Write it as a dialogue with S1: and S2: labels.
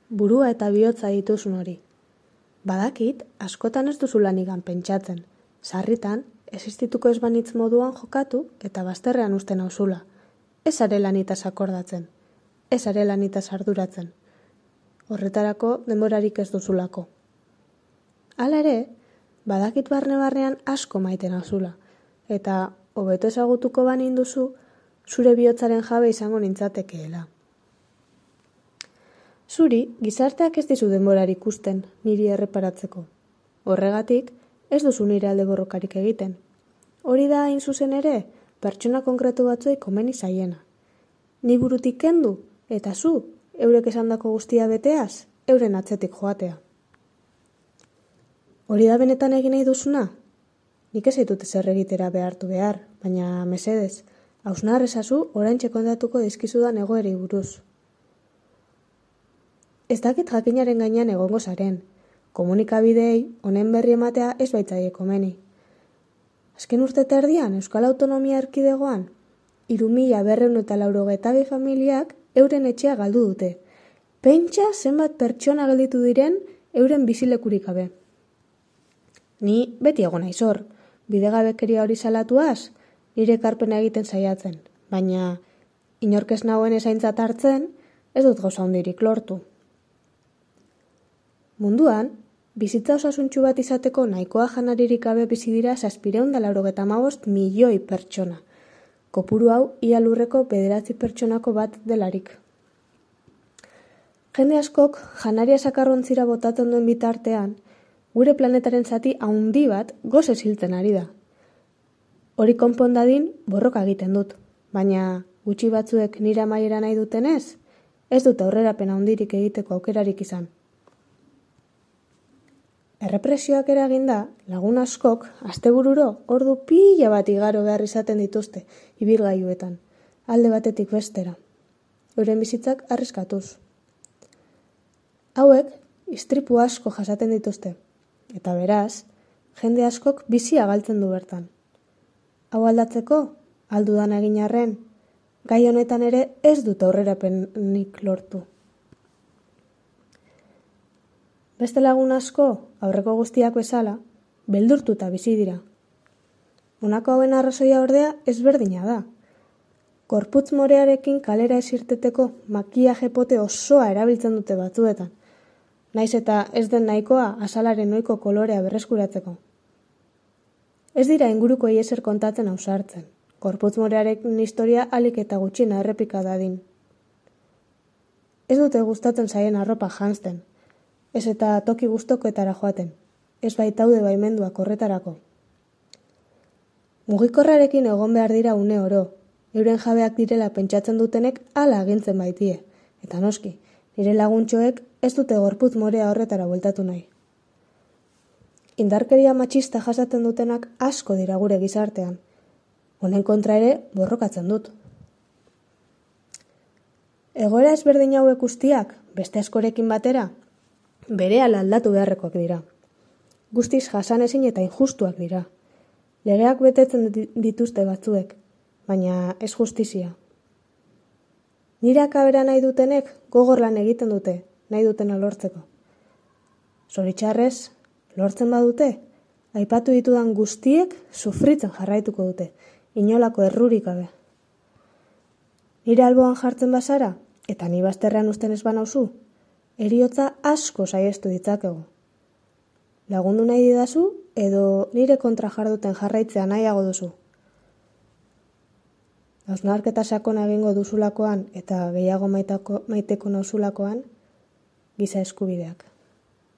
S1: burua eta bihotza dituzun hori. Badakit, askotan ez duzu lanigan pentsatzen. Sarritan, existituko ez banitz moduan jokatu eta bazterrean usten nauzula. Ez are lanitaz akordatzen. Ez are lanitaz arduratzen. Horretarako denborarik ez duzulako. Hala ere, badakit barne-barnean asko maite nauzula. Eta hobeto ezagutuko banin duzu, zure bihotzaren jabe izango nintzatekeela. Zuri, gizarteak ez dizu denborarik ikusten niri erreparatzeko. Horregatik, ez duzu nire alde borrokarik egiten. Hori da hain zuzen ere, pertsona konkretu batzuei komeni zaiena. Ni burutik kendu, eta zu, eurek esandako guztia beteaz, euren atzetik joatea. Hori da benetan egin nahi duzuna? Nik ez zaitut ezer egitera behartu behar, baina mesedez, hausnar ezazu oraintxe kontatuko dizkizudan egoerei buruz. Ez dakit jakinaren gainean egongo zaren. Komunikabideei honen berri ematea ez baitzaie komeni. Azken urte terdian Euskal Autonomia Erkidegoan 3.292 familiak euren etxea galdu dute. Pentsa zenbat pertsona gelditu diren euren bizilekurik gabe. Ni beti egon naiz hor, bidegabekeria hori salatuaz, nire ekarpena egiten saiatzen, baina inork ez nagoen ezaintzat hartzen, ez dut gauza handirik lortu. Munduan, bizitza osasuntsu bat izateko nahikoa janaririk gabe bizi dira 795 milioi pertsona. Kopuru hau ia lurreko 9 pertsonako bat delarik. Jende askok janaria sakarrontzira botatzen duen bitartean, gure planetaren zati handi bat gozez hiltzen ari da. Hori konpondadin borroka egiten dut, baina gutxi batzuek nire amaiera nahi dutenez, ez dut aurrerapen handirik egiteko aukerarik izan. Errepresioak eraginda, lagun askok, astebururo, ordu pila bat igaro behar izaten dituzte, ibilgailuetan, alde batetik bestera. Euren bizitzak arriskatuz. Hauek, istripu asko jasaten dituzte, eta beraz, jende askok bizia galtzen du bertan. Hau aldatzeko, aldudan egin arren, gai honetan ere ez dut aurrerapenik lortu. Beste lagun asko, aurreko guztiak bezala, beldurtuta bizi dira. Honako hauen arrazoia ordea ezberdina da. Gorputz morearekin kalera ez irteteko makiaje pote osoa erabiltzen dute batzuetan, naiz eta ez den nahikoa azalaren ohiko kolorea berreskuratzeko. Ez dira inguruko ezer kontatzen ausartzen, gorputz morearekin historia alik eta gutxina errepika dadin. Ez dute gustatzen zaien arropa janzten, ez eta toki gustokoetara joaten, ez baitaude baimenduak horretarako. Mugikorrarekin egon behar dira une oro, euren jabeak direla pentsatzen dutenek hala agintzen baitie, eta noski, nire laguntxoek ez dute gorputz morea horretara bueltatu nahi. Indarkeria matxista jasaten dutenak asko dira gure gizartean, honen kontra ere borrokatzen dut. Egoera ezberdin hauek guztiak, beste askorekin batera, berehala aldatu beharrekoak dira. Guztiz jasanezin eta injustuak dira. Legeak betetzen dituzte batzuek, baina ez justizia. Nire akabera nahi dutenek gogor lan egiten dute, nahi dutena lortzeko. Zoritxarrez, lortzen badute, aipatu ditudan guztiek sufritzen jarraituko dute, inolako errurik gabe. Nire alboan jartzen bazara, eta ni bazterrean usten ez banauzu, heriotza asko saiestu ditzakegu. Lagundu nahi didazu, edo nire kontra jarduten jarraitzea nahiago duzu. Hausnarketa sakona egingo duzulakoan eta gehiago maiteko nauzulakoan, giza eskubideak.